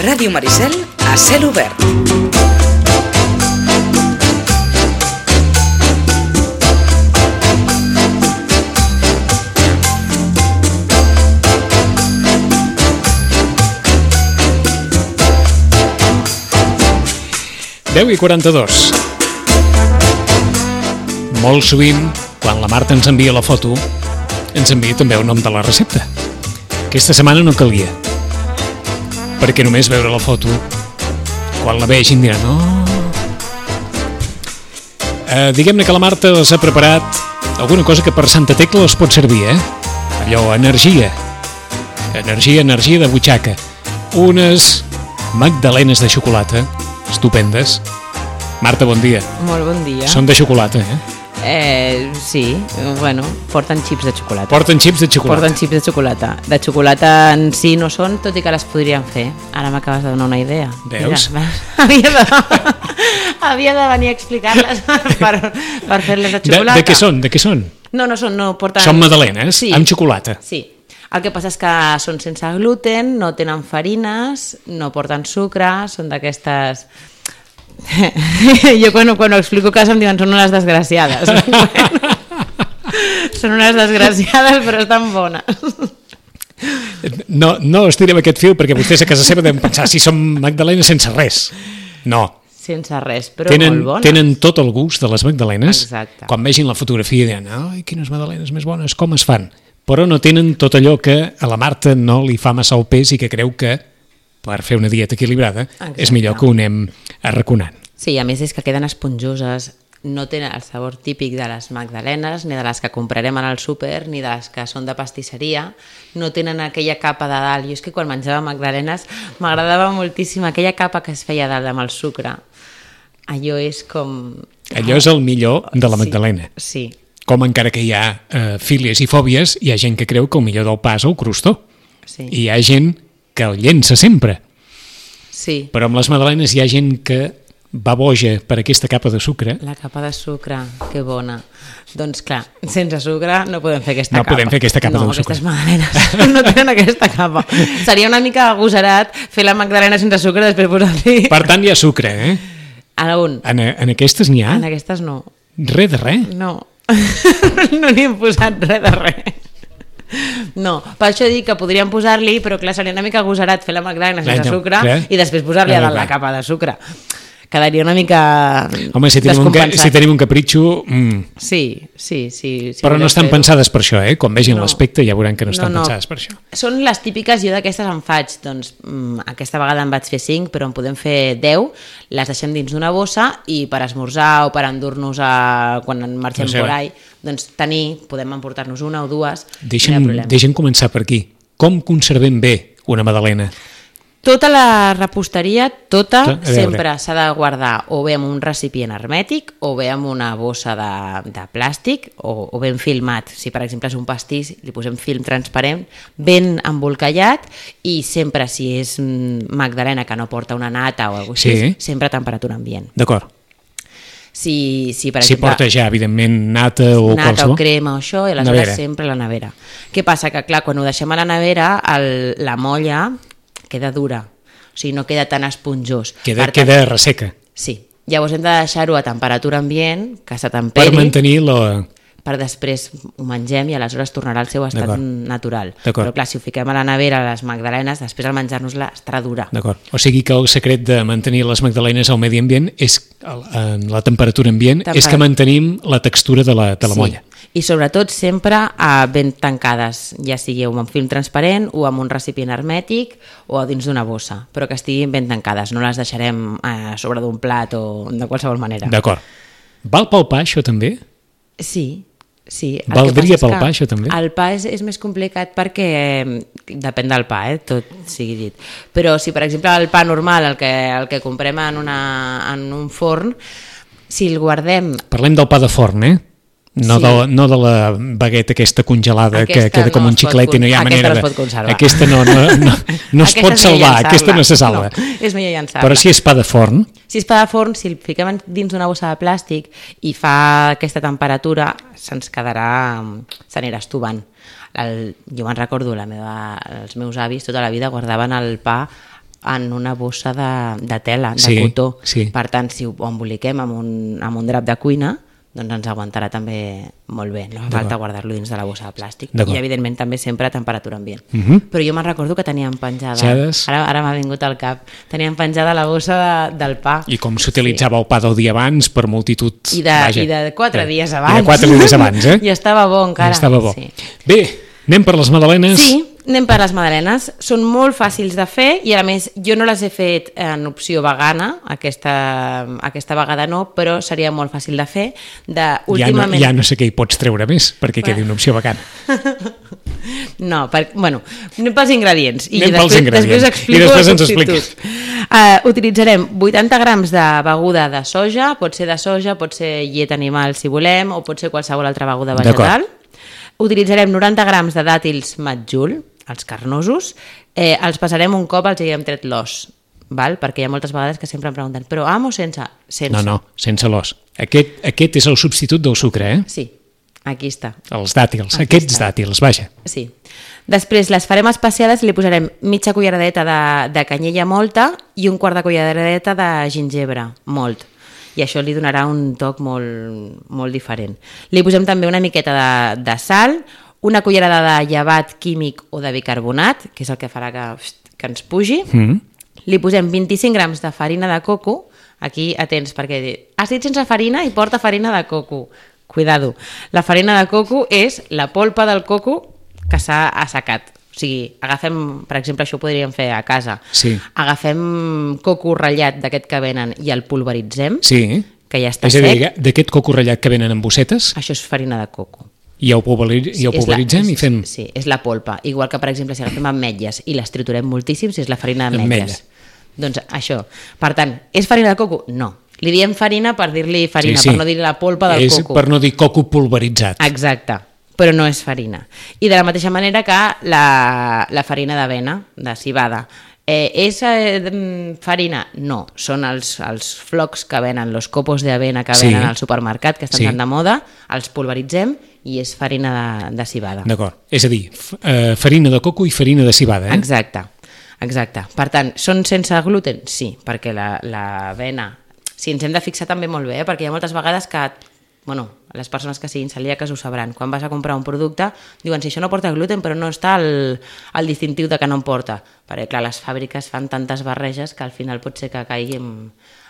Ràdio Maricel a cel obert. Deu i 42. Molt sovint, quan la Marta ens envia la foto, ens envia també el nom de la recepta. Aquesta setmana no calia, perquè només veure la foto, quan la vegin diran no. Diguem-ne que la Marta els ha preparat alguna cosa que per Santa Tecla els pot servir, Allò, energia de butxaca. Unes magdalenes de xocolata estupendes. Marta, bon dia. Molt bon dia. Són de xocolata, Sí, bueno, porten xips de xocolata. Porten xips de xocolata. Porten xips de xocolata. De xocolata en si no són, tot i que les podrien fer. Ara m'acabes de donar una idea. Veus? Mira, havia de venir a explicar-les per fer-les de xocolata. De què són? No porten... Són magdalenes, sí, amb xocolata. Sí. El que passa és que són sense gluten, no tenen farines, no porten sucre, són d'aquestes... Jo quan ho explico a casa em diuen són unes desgraciades. Són unes desgraciades però estan bones. No estirem aquest fil perquè vostès a casa seva deuen pensar si són magdalenes sense res. No. Sense res, però molt bones. Tenen tot el gust de les magdalenes. Exacte. Quan vegin la fotografia diran, ai, quines magdalenes més bones, com es fan? Però no tenen tot allò que a la Marta no li fa massa el pes i que creu que per fer una dieta equilibrada és millor que ho anem arraconant. Sí, a més és que queden esponjoses, no tenen el sabor típic de les magdalenes, ni de les que comprarem al súper, ni de les que són de pastisseria, no tenen aquella capa de dalt. Jo és que quan menjava magdalenes m'agradava moltíssim aquella capa que es feia dalt amb el sucre. Allò és com... Allò és el millor de la magdalena. Sí. Com encara que hi ha fílies i fòbies, hi ha gent que creu que el millor del pa és el crostó. Sí. I hi ha gent que el llença sempre. Sí. Però amb les magdalenes hi ha gent que va boja per aquesta capa de sucre. La capa de sucre, que bona. Doncs clar, sense sucre no podem fer aquesta capa. No podem fer aquesta capa de sucre. No, aquestes magdalenes no tenen aquesta capa. Seria una mica agosarat fer la magdalena sense sucre i després posar-li... Per tant, hi ha sucre, A on? En aquestes n'hi ha? En aquestes no. Res de res? No. No n'hi hem posat res de res. No, per això dic que podríem posar-li, però clar, seria una mica agosarat fer la magdalena sense sucre i després posar-li a dalt la capa de sucre. Quedaria una mica... Home, si tenim un capritxo... Sí. Però no estan pensades per això, Quan vegin l'aspecte ja veuran que no estan pensades per això. Són les típiques, jo d'aquestes en faig, doncs aquesta vegada en vaig fer 5, però en podem fer 10, les deixem dins d'una bossa i per esmorzar o per endur-nos quan marxem por ahí, doncs podem emportar-nos una o dues. Deixem començar per aquí. Com conservem bé una magdalena? Tota la reposteria, sempre s'ha de guardar o bé en un recipient hermètic o bé en una bossa de plàstic o ben filmat. Si per exemple és un pastís, li posem film transparent, ben embolcallat i sempre si és magdalena que no porta una nata o alguna cosa així, sempre a temperatura ambient. D'acord. Si per exemple, porta ja, evidentment, nata o qualsevol. O crema o això, i aleshores sempre a la nevera. Què passa? Que clar, quan ho deixem a la nevera, la molla queda dura, o sigui, no queda tan esponjós. Queda resseca. Sí, llavors hem de deixar-ho a temperatura ambient, que s'atemperi. Per mantenir la... Per després ho mengem i aleshores tornarà al seu estat natural. Però clar, si ho fiquem a la nevera, les magdalenes, després al menjar-nos-la estarà dura. D'acord. O sigui que el secret de mantenir les magdalenes al medi ambient és, en la temperatura ambient, és que mantenim la textura de la molla. I sobretot sempre ben tancades, ja sigui amb un film transparent o amb un recipient hermètic o dins d'una bossa, però que estiguin ben tancades, no les deixarem a sobre d'un plat o de qualsevol manera. D'acord. Val pel pa això també? Sí. Valdria pel pa això també? El pa és més complicat perquè depèn del pa, tot sigui dit. Però si per exemple el pa normal, el que comprem en un forn, si el guardem... Parlem del pa de forn, No de la bagueta aquesta congelada que queda com un xiclet i no hi ha manera de... Aquesta no es pot salvar, aquesta no se salva. És millor llançar-la. Però si és pa de forn... Si és pa de forn, si el fiquem dins d'una bossa de plàstic i fa aquesta temperatura, s'anirà estovant. Jo me'n recordo, els meus avis tota la vida guardaven el pa en una bossa de tela, de Sí, cotó. sí. Per tant, si ho emboliquem amb un drap de cuina, doncs ens aguantarà també molt bé. No fa falta guardar-lo dins de la bossa de plàstic. D'acord. I, evidentment, també sempre a temperatura ambient. Mhm. Però jo me'n recordo que teníem penjada... Xades. Ara m'ha vingut al cap. Teníem penjada la bossa del pa. I com s'utilitzava el pa del dia abans per multitud... I de 4 dies abans. I de 4 dies abans, eh? I estava bo encara. I estava bo. Sí. Bé, anem per les magdalenes. Sí, anem per les magdalenes. Són molt fàcils de fer i, a més, jo no les he fet en opció vegana, aquesta vegada no, però seria molt fàcil de fer. Últimament... Ja no sé què hi pots treure més, perquè quedi una opció vegana. No, bueno, anem pels ingredients. Anem pels ingredients. Després explico I després el ens substitut. Utilitzarem 80 grams de beguda de soja, pot ser de soja, pot ser llet animal si volem, o pot ser qualsevol altra beguda vegetal. Utilitzarem 90 grams de dàtils matjul, els carnosos, els passarem un cop els haguem tret l'os, val? Perquè hi ha moltes vegades que sempre em pregunten, però amb o sense? Sense. No, sense l'os. Aquest és el substitut del sucre, eh? Sí, aquí està. Els dàtils, aquests dàtils, vaja. Sí. Després les farem especiades i li posarem mitja culleradeta de canyella molta i un quart de culleradeta de gingebre molt. I això li donarà un toc molt diferent. Li posem també una miqueta de sal, una cullerada de llevat químic o de bicarbonat, que és el que farà que ens pugi. Li posem 25 grams de farina de coco. Aquí, atents, perquè has dit sense farina i porta farina de coco. Cuidado. La farina de coco és la polpa del coco que s'ha assecat. O sigui, agafem, per exemple, això ho podríem fer a casa. Sí. Agafem coco ratllat d'aquest que venen i el pulveritzem, Sí. que ja està És a sec. dir, d'aquest coco ratllat que venen en bossetes, Això és farina de coco. i ho pulveritzem i fem... Sí, és la polpa. Igual que, per exemple, si agafem ametlles i les triturem moltíssim, si és la farina d'ametlles. Doncs això. Per tant, és farina de coco? No. Li diem farina per dir-li farina, per no dir la polpa del coco. És per no dir coco pulveritzat. Exacte, però no és farina. I de la mateixa manera que la farina d'avena, de civada. És farina? No, són els flocs que venen, els copos d'avena que venen al supermercat, que estan tan de moda, els pulveritzem i és farina de civada. D'acord, és a dir, farina de coco i farina de civada, eh? Exacte. Per tant, són sense gluten? Sí, perquè l'avena... Sí, ens hem de fixar també molt bé, perquè hi ha moltes vegades que, les persones que siguin celíaques ho sabran. Quan vas a comprar un producte, diuen, si això no porta gluten, però no està el distintiu de que no en porta. Perquè, clar, les fàbriques fan tantes barreges que al final pot ser que caiguem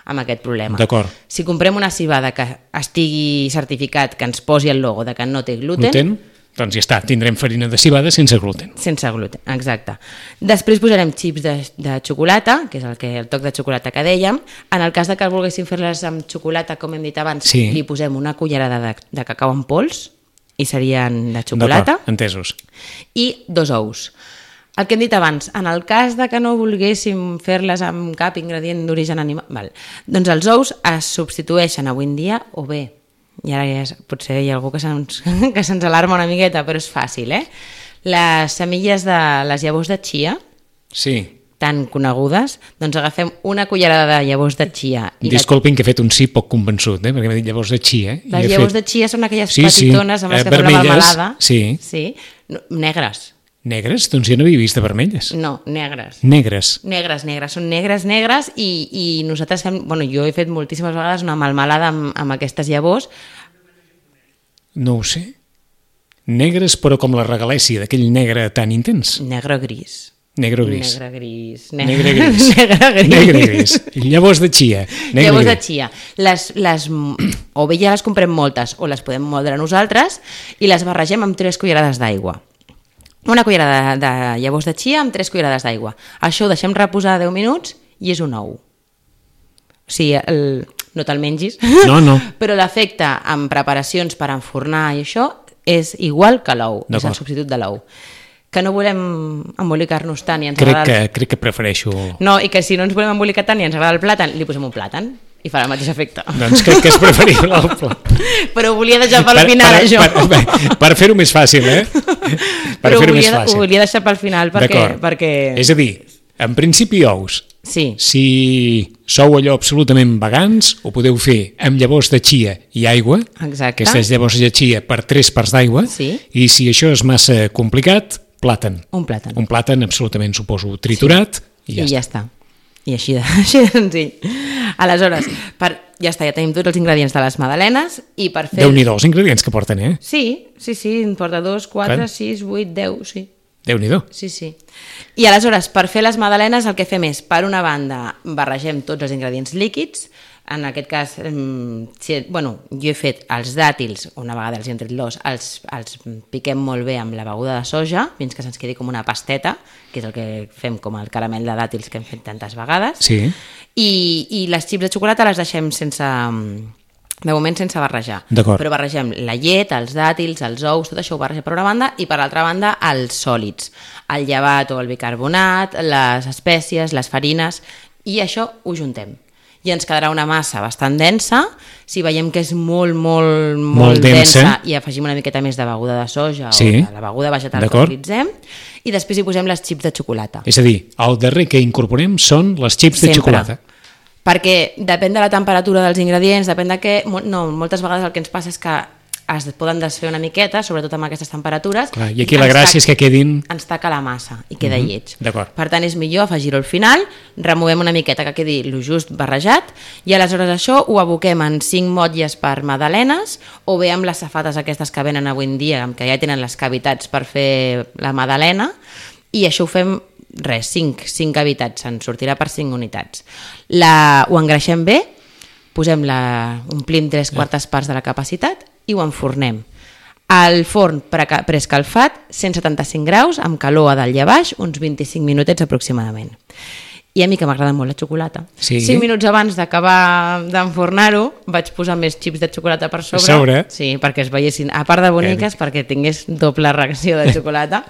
amb aquest problema. D'acord. Si comprem una civada que estigui certificat, que ens posi el logo de que no té gluten, doncs ja està, tindrem farina de civada sense gluten. Sense gluten, exacte. Després posarem xips de xocolata, que és el toc de xocolata que dèiem. En el cas de que volguéssim fer-les amb xocolata, com hem dit abans, li posem una cullerada de cacau en pols, i serien de xocolata. D'acord, entesos. I 2 ous. El que hem dit abans, en el cas de que no volguéssim fer-les amb cap ingredient d'origen animal, doncs els ous es substitueixen avui en dia, o bé, i ara potser hi ha algú que se'ns alarma una miqueta, però és fàcil, les semilles de les llavors de chia, tan conegudes, doncs agafem una cullerada de llavors de chia. Disculpin que he fet un sí poc convençut, perquè m'he dit llavors de chia. Les llavors de chia són aquelles petitones amb les que fem la melmelada. Sí. Negres. Negres? Doncs jo no havia vist de vermelles. No, negres. Negres. Són negres i nosaltres fem... jo he fet moltíssimes vegades una melmelada amb aquestes llavors. No ho sé. Negres, però com la regalèssia, d'aquell negre tan intens. Negre gris. Negre gris. Llavors de chia. Llavors de chia. O bé ja les comprem moltes o les podem moldre nosaltres i les barregem amb 3 cullerades d'aigua. Una cullerada de llavors de chia amb 3 cullerades d'aigua. Això ho deixem reposar 10 minuts i és un ou. O sigui, no te'l mengis, no. Però l'efecte en preparacions per enfornar i això és igual que l'ou, és el substitut de l'ou. Que no volem embolicar-nos tant i ens agrada... Crec que prefereixo... No, i que si no ens volem embolicar tant i ens agrada el plàtan, li posem un plàtan i farà el mateix efecte. Doncs crec que és preferible el plàtan. Però ho volia deixar pel final, això. Per fer-ho més fàcil, Però ho volia deixar pel final perquè... És a dir, en principi ous. Sí. Si sou allò absolutament vegans, ho podeu fer amb llavors de chia i aigua. Exacte. Aquestes llavors de chia per 3 parts d'aigua. Sí. I si això és massa complicat, plàtan. Un plàtan. Un plàtan absolutament, suposo, triturat. I ja està. I així de senzill. Aleshores, ja està, ja tenim tots els ingredients de les magdalenes i per fer... Déu-n'hi-do els ingredients que porten, eh? Sí, en porta 2, 4, 6, 8, 10, sí. Déu-n'hi-do. Sí. I aleshores, per fer les magdalenes, el que fem és, per una banda, barregem tots els ingredients líquids. En aquest cas, jo he fet els dàtils, una vegada els he tret l'os, els piquem molt bé amb la beguda de soja, fins que se'ns quedi com una pasteta, que és el que fem com el caramel de dàtils que hem fet tantes vegades. Sí. I les xips de xocolata les deixem de moment sense barrejar. D'acord. Però barregem la llet, els dàtils, els ous, tot això ho barregem per una banda, i per l'altra banda els sòlids, el llevat o el bicarbonat, les espècies, les farines, i això ho juntem. I ens quedarà una massa bastant densa. Si veiem que és molt densa, i afegim una miqueta més de beguda de soja o de la beguda vegetal que utilitzem, i després hi posem les xips de xocolata. És a dir, el darrer que incorporem són les xips de xocolata. Perquè depèn de la temperatura dels ingredients, depèn de què... No, moltes vegades el que ens passa és que es poden desfer una miqueta, sobretot amb aquestes temperatures. Clar, i aquí la gràcia és que quedin... Ens taca la massa i queda lleig. D'acord. Per tant, és millor afegir-ho al final, removem una miqueta que quedi el just barrejat, i aleshores això ho aboquem en 5 motlles per magdalenes, o bé amb les safates aquestes que venen avui en dia, que ja tenen les cavitats per fer la magdalena, i això ho fem 5 cavitats, se'n sortirà per 5 unitats. Ho engreixem bé, omplim 3/4 parts de la capacitat i ho enfornem. Al forn preescalfat, 175 graus, amb calor a dalt i a baix, uns 25 minutets aproximadament. I a mi, que m'agrada molt la xocolata, 5 minuts abans d'acabar d'enfornar-ho, vaig posar més xips de xocolata per sobre. Sí, perquè es veiessin, a part de boniques, perquè tingués doble reacció de xocolata.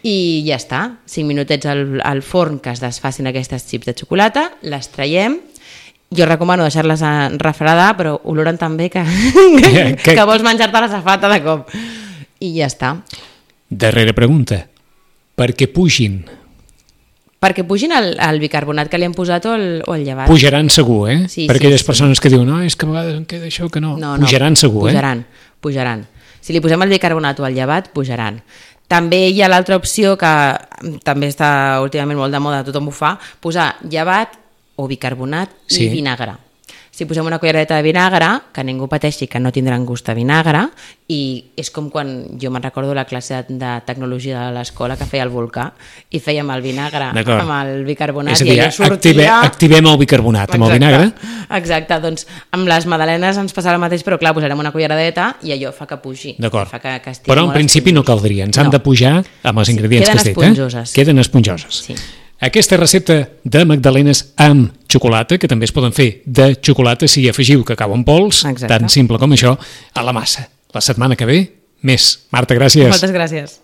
I ja està, 5 minutets al forn que es desfacin aquestes xips de xocolata, les traiem. Jo recomano deixar-les refredar, però oloren tan bé que vols menjar-te la safata de cop. I ja està. Darrera pregunta. Per què pugin? Perquè pugin el bicarbonat que li hem posat o el llevat. Pujaran segur, eh? Sí, per aquelles persones que diuen, no, és que a vegades em queda això que no. Pujaran segur, pujaran. Si li posem el bicarbonat o el llevat, pujaran. També hi ha l'altra opció que també està últimament molt de moda, tothom ho fa, posar llevat o bicarbonat i vinagre. Si posem una culleradeta de vinagre, que ningú pateixi que no tindran gust de vinagre, i és com quan jo me'n recordo la classe de tecnologia de l'escola que feia el volcà i fèiem el vinagre amb el bicarbonat. És a dir, i sortia... activem el bicarbonat amb el vinagre. Exacte, doncs amb les magdalenes ens passarà el mateix, però clar, posarem una culleradeta i allò fa que pugi. D'acord, però en principi no caldria, ens han de pujar amb els ingredients que has dit. Queden esponjoses. Queden esponjoses. Sí. Aquesta recepta de magdalenes amb xocolata, que també es poden fer de xocolata si afegiu cacau en pols, tan simple com això, a la massa. La setmana que ve, més. Marta, gràcies. Moltes gràcies.